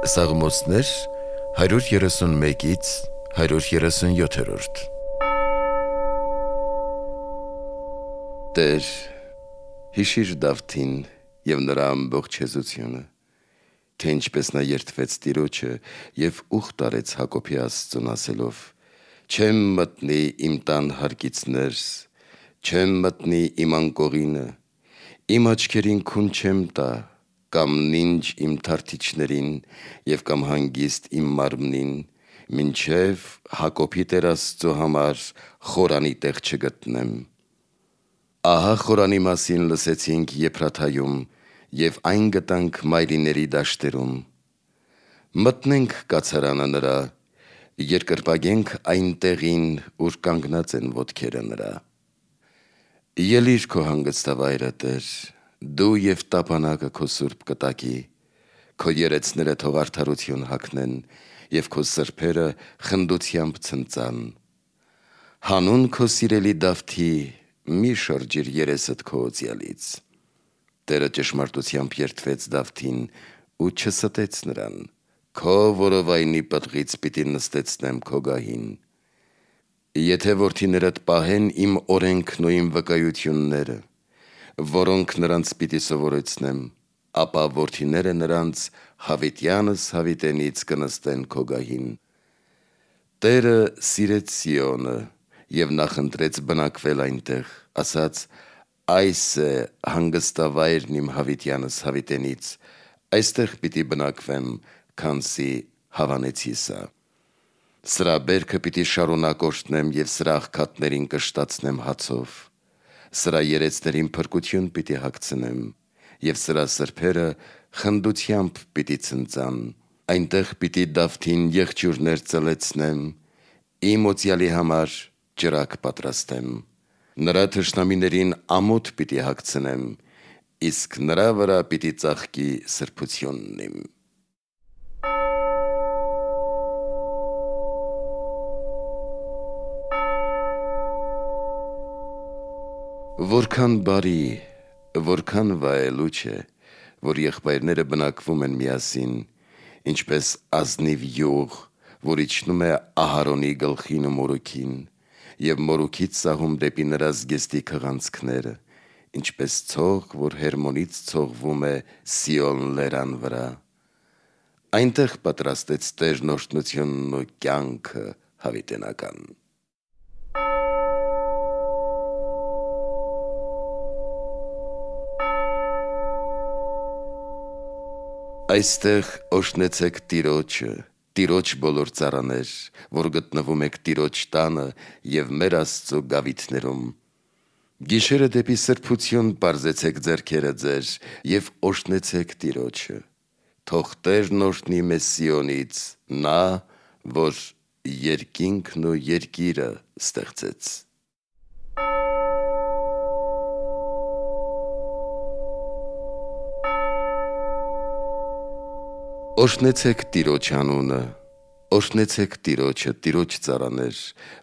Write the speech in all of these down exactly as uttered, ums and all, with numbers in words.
Սաղմոսներ հարյուր երեսունմեկից հարյուր երեսունյոթերորդ Տեր, հիշիր Դավթին և նրա ամբողջ հեզությունը, թե ինչպես նա երդվեց Տիրոջը և ուխտ արեց Հակոբի Աստծուն ասելով. «Չեմ մտնի իմ տան հարկից ներս, չեմ մտնի իմ անկողինը, իմ աչքերին քուն չեմ տա, կամ նինջ իմ թարթիչներին և կամ հանգիստ իմ մարմնին, մինչև Հակոբի Տեր Աստծու համար խորանի տեղ չգտնեմ»։ Ահա խորանի մասին լսեցինք Եփրաթայում և այն գտանք մայրիների դաշտերում։ Մտնենք կացարանը նրա, երկրպագենք այն տեղին, ուր կանգնած են ոտքերը նրա։ Ելիր քո հանգստավայրը, Տեր, դու և տապանակը քո սուրբ կտակի, քո երեցները թող արդարություն հագնեն և քո սրբերը խնդությամբ ցնծան։ Հանուն քո սիրելի Դավթի մի շրջիր երեսդ քո օծյալից։ Տերը ճշմարտությամբ երդվեց Դավթին ու չստեց նրան, քո որովայնի պտղից պիտի նստեցնեմ քո գահին։ Եթե որդիներդ պահեն իմ օրենքն ու իմ վկայությունները, որոնք նրանց պիտի սովորեցնեմ, ապա որդիները նրանց հավիտյանս հավիտենից կնստեն քո գահին։ Տերը սիրեց Սիոնը և նախընտրեց բնակվել այնտեղ, ասաց. «Այս է հանգստավայրն իմ հավիտյանս հավիտենից, այստեղ պիտի բնակվեմ, քանզի հավանեցի սա։ Սրա բերքը պիտի շարունակ օրհնեմ և սրա աղքատներին կշտացնեմ հացով, սրա երեցներին փրկություն պիտի հագցնեմ և սրա սրբերը խնդությամբ պիտի ցնծան։ Այնտեղ պիտի Դավթին եղջյուրներ ծլեցնեմ, իմ օծյալի համար ճրագ պատրաստեմ։ Նրա թշնամիներին ամոթ պիտի հագցնեմ, իսկ նրա վրա պիտի ծաղկի սրբությունն իմ»։ Որքան բարի, որքան վայելուչ է, որ եղբայրները բնակվում են միասին, ինչպես ազնիվ յուղ, որ իջնում է Ահարոնի գլխին ու մորուքին, և մորուքից սահում դեպի նրա զգեստի քղանցքները, ինչպես ցող, որ Հերմոնից ցողվում է Սիոն լերան վրա։ Այնտեղ պատրաստեց Տերն օրհնությունն ու կյանքը հավիտենական։ Այստեղ օրհնեցեք Տիրոջը, Տիրոջ բոլոր ծառաներ, որ գտնվում եք Տիրոջ տանը և մեր Աստծու գավիթներում։ Գիշերը դեպի սրբություն պարզեցեք ձեռքերը ձեր և օրհնեցեք Տիրոջը։ Թող Տերն օրհնի մեզ Սիոնից, նա, որ երկինքն ու երկիրը ստեղծեց։ Օրհնեցեք Տիրոջ անունը, օրհնեցեք Տիրոջը, Տիրոջ ծառաներ,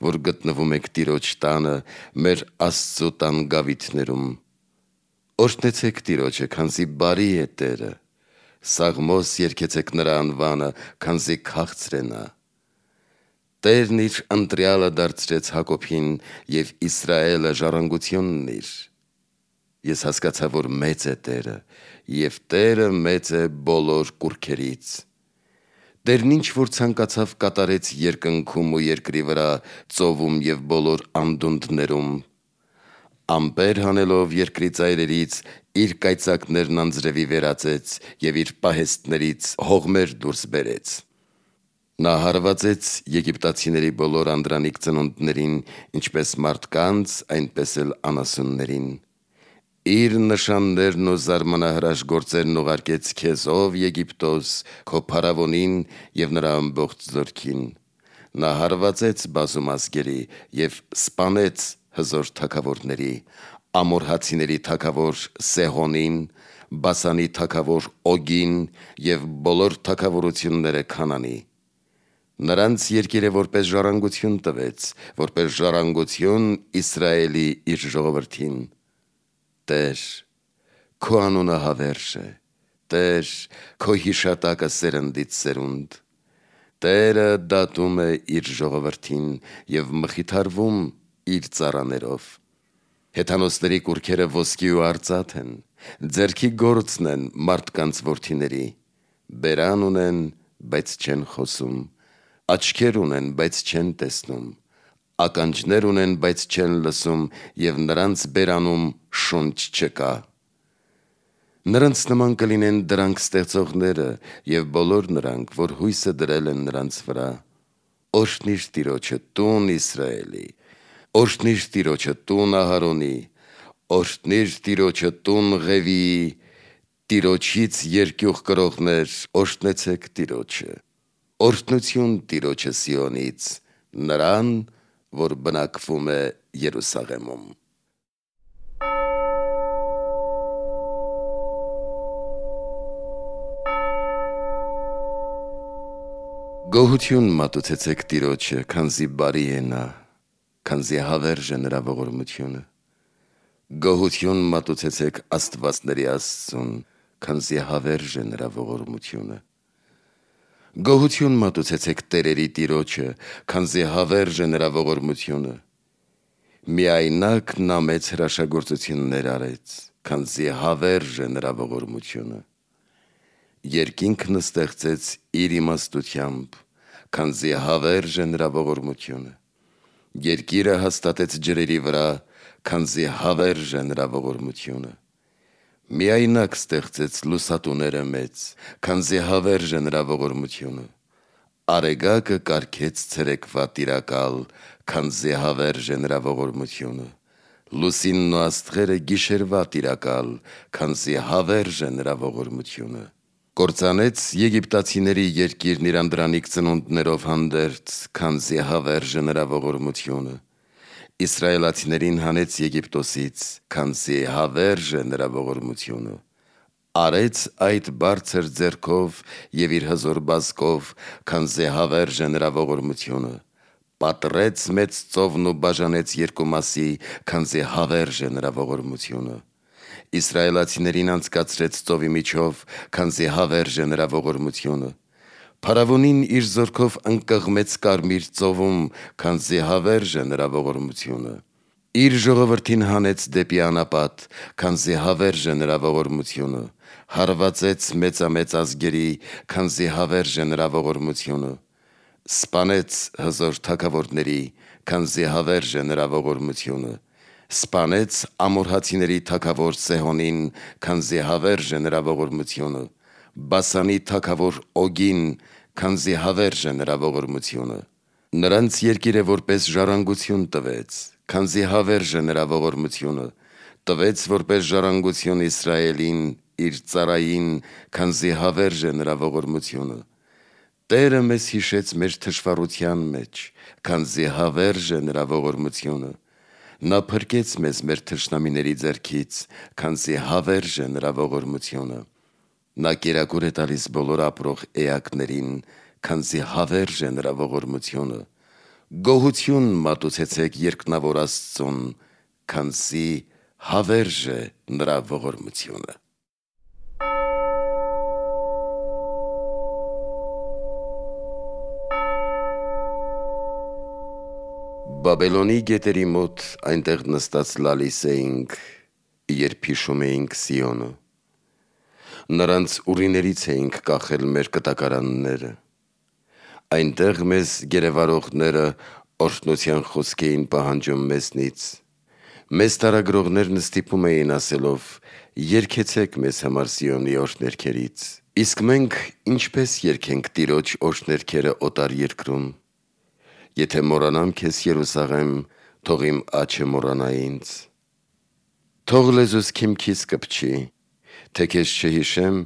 որ գտնվում եք Տիրոջ տանը, մեր Աստծու տան գավիթներում։ Օրհնեցեք Տիրոջը, քանզի բարի է Տերը, սաղմոս երգեցեք նրա անվանը, քանզի քաղցր է նա։ Տերն իր ընտրյալը դարձրեց Հակոբին և Իսրայելը ժառանգությունն իր։ Ես հասկացա, որ մեծ է Տերը, և Տերը մեծ է բոլոր կուռքերից։ Տերն ինչ որ ցանկացավ կատարեց երկնքում ու երկրի վրա, ծովում և բոլոր անդունդներում։ Ամպեր հանելով երկրի ծայրերից, իր կայծակներն անձրևի վերածեց և իր պահեստներից հողմեր դուրս բերեց։ Նա հարվածեց եգիպտացիների բոլոր անդրանիկ ծնունդներին, ինչպես մարդկանց, այնպես էլ անասուններին։ Իր նշաններն ու զարմանահրաշ գործերն ուղարկեց քեզ, ով Եգիպտոս, քո փարավոնին և նրա ամբողջ զորքին։ Նա հարվածեց բազում ազգերի և սպանեց հզոր թագավորների, ամորհացիների թագավոր Սեհոնին, Բասանի թագավոր Օգին և բոլոր թագավորությունները Քանանի։ Նրանց երկիրը որպես ժառանգություն տվեց, որպես ժառանգություն Իսրայելի իր ժողովրդին։ Տեր, քո անունը հավերժ է, Տեր, քո հիշատակը սերնդից սերունդ։ Տերը դատում է իր ժողովրդին և մխիթարվում իր ծառաներով։ Հեթանոսների կուռքերը ոսկի ու արծաթ են, ձեռքի գործն են մարդկանց որդիների։ Բերան ունեն, բայց չեն խոսում, աչքեր ունեն, բայց չեն տեսնում, ականջներ ունեն, բայց չեն լսում, և նրանց բերանում շունչ չկա։ Նրանց նման կլինեն դրանք ստեղծողները և բոլոր նրանք, որ հույսը դրել են նրանց վրա։ Օրհնիր Տիրոջը տուն Իսրայելի, օրհնիր Տիրոջը տուն Ահարոնի, օրհնիր Տիրոջը տուն Ղևիի, Տիրոջից երկյուղ կրողներ, օրհնեցեք Տիրոջը։ Օրհնություն Տիրոջը Սիոնից, նրան, որ բնակվում է Երուսաղեմում։ Գոհություն մատուցեցեք Տիրոջը, քանզի բարի է նա, քանզի հավերժ է նրա ողորմությունը։ Գոհություն մատուցեցեք Աստվածների Աստծուն, քանզի հավերժ է նրա ողորմությունը։ Գոհություն մատուցեցեք տերերի Տիրոջը, քանզի հավերժ է նրա ողորմությունը։ Միայնակ նա մեծ հրաշագործություններ արեց, քանզի հավերժ է նրա ողորմությունը։ Երկինքն ստեղծեց իր իմաստությամբ, քանզի հավերժ է նրա ողորմությունը։ Երկիրը հաստատեց ջրերի վրա, քանզի հավերժ է նրա ողորմությունը։ Միայնակ ստեղծեց լուսատուները մեծ, քանզի հավերժ է նրա ողորմությունը։ Արեգակը կարգեց ցերեկվա տիրակալ, քանզի հավերժ է նրա ողորմությունը։ Լուսինն ու աստղերը գիշերվա տիրակալ, քանզի հավերժ է նրա ողորմությունը։ Կործանեց եգիպտացիների երկիրն իր անդրանիկ ծնունդներով հանդերձ, քանզի հավերժ է նրա ողորմությունը։ Իսրայելացիներին հանեց Եգիպտոսից, քանզի հավերժ է նրա ողորմությունը։ Արեց այդ բարձր ձեռքով և իր հզոր բազկով, քանզի հավերժ է նրա ողորմությունը։ Պատռեց մեծ ծովն ու բաժանեց երկու մասի, քանզի հավերժ է նրա ողորմությունը։ Իսրայելացիներին անցկացրեց ծովի միջով, քանզի հավերժ է նրա ողորմությունը։ Փարավոնին իր զորքով ընկղմեց Կարմիր ծովում, քանզի հավերժ է նրա ողորմությունը։ Իր ժողովրդին հանեց դեպի անապատ, քանզի հավերժ է նրա ողորմությունը։ Հարվածեց մեծամեծ ազգերի, քանզի հավերժ է նրա ողորմությունը։ Սպանեց հզոր թագավորների, քանզի հավերժ է նրա ողորմությունը։ Սպանեց ամորհացիների թագավոր Սեհոնին, քանզի հավերժ է նրա ողորմությունը։ Բասանի թագավոր Օգին, քանզի հավերժ է նրա ողորմությունը։ Նրանց երկիրը որպես ժառանգություն տվեց, քանզի հավերժ է նրա ողորմությունը։ Տվեց որպես ժառանգություն Իսրայելին, իր ծառային, քանզի հավերժ է նրա ողորմությունը։ Տերը մեզ հիշեց մեր թշվառության մեջ, քանզի հավերժ է նրա ողորմությունը։ Նա փրկեց մեզ մեր թշնամիների ձեռքից, քանզի հավերժ է նրա ողորմությունը։ Նա կերակուր է տալիս բոլոր ապրող էակներին, քանզի հավերժ է նրա ողորմությունը։ Գոհություն մատուցեցեք երկնավոր Աստծուն, քանզի հավերժ է նրա ողորմությունը։ Բաբելոնի գետերի մոտ այնտեղ նստած լալիս էինք, երբ հիշում էինք Սիոնը։ Նրանց ուռիներից էինք կախել մեր կտակարանները։ Այնտեղ մեզ գերեվարողները օրհնության խոսք էին պահանջում մեզնից։ Մեզ տարագրողներն ստիպում էին ասելով. «Երգեցեք մեզ համար Սիոնի օրհներգերից»։ Իսկ մենք ինչպե՞ս երգենք Տիրոջ օրհներգերը օտար երկրում։ Եթե մոռանամ քեզ, Երուսաղեմ, թող իմ աջը մոռանա ինձ։ Թող լեզուս քիմքիս կպչի, թե քեզ չհիշեմ,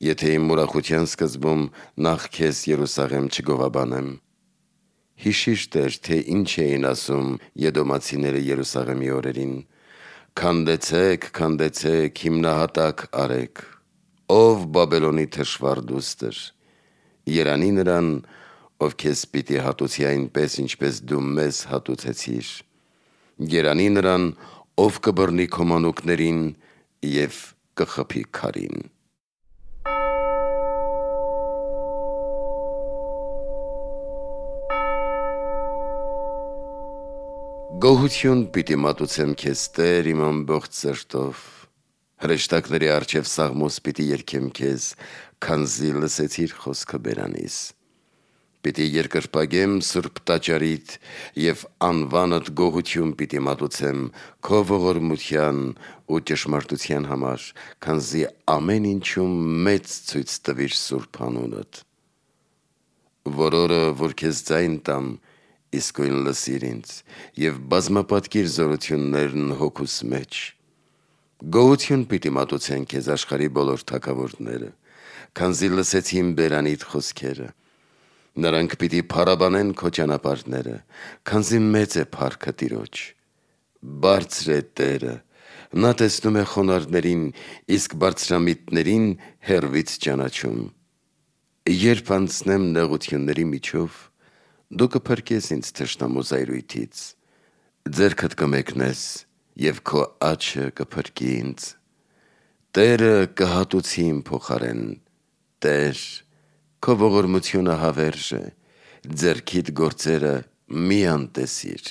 եթե իմ ուրախության սկզբում նախ քեզ, Երուսաղեմ, չգովաբանեմ։ Հիշիր, Տեր, թե ինչ էին ասում եդոմացիները Երուսաղեմի օրերին. «Քանդեցեք, քանդեցեք, հիմնահատակ արեք, ով Բաբելոնի թշվառ դուստր, երանի նրան, ով քեզ պիտի հատուցի այնպես, ինչպես դու մեզ հատուցեցիր, երանի նրան, ով կբռնի քո մանուկներին և կխփի քարին»։ Գոհություն պիտի մատուցեմ քեզ Տեր իմ ամբողջ սրտով, հրեշտակների առջև սաղմոս պիտի երգեմ քեզ, քանզի լսեցիր խոսքը բերանիս։ Պիտի երկրպագեմ սուրբ տաճարիդ և անվանդ գոհություն պիտի մատուցեմ քո ողորմության ու ճշմարտության համար, քանզի ամեն ինչում մեծ ցույց տվիր սուրբ անունդ։ Որ օրը, որ քեզ ձայն տամ, իսկույն լսիր ինձ և բազմապատկիր զորություններն հոգուս մեջ։ Գոհություն պիտի մատուցեն քեզ աշխարհի բոլոր թագավորները, քանզի լսեցին բերանիդ խոսքերը։ Նրանք պիտի փառաբանեն քո ճանապարհները, քանզի մեծ է փառքը Տիրոջ։ Բարձր է Տերը, նա տեսնում է խոնարհներին, իսկ բարձրամիտներին հեռվից ճանաչում։ Երբ անցնեմ նեղությունների միջով, դու կփրկես ինձ թշնամու զայրույթից, ձեռքդ կմեկնես և քո աջը կփրկի ինձ։ Տերը կհատուցի իմ փոխարեն, Տեր, քո ողորմությունը հավերժ է, ձեռքիդ գործերը մի անտեսիր։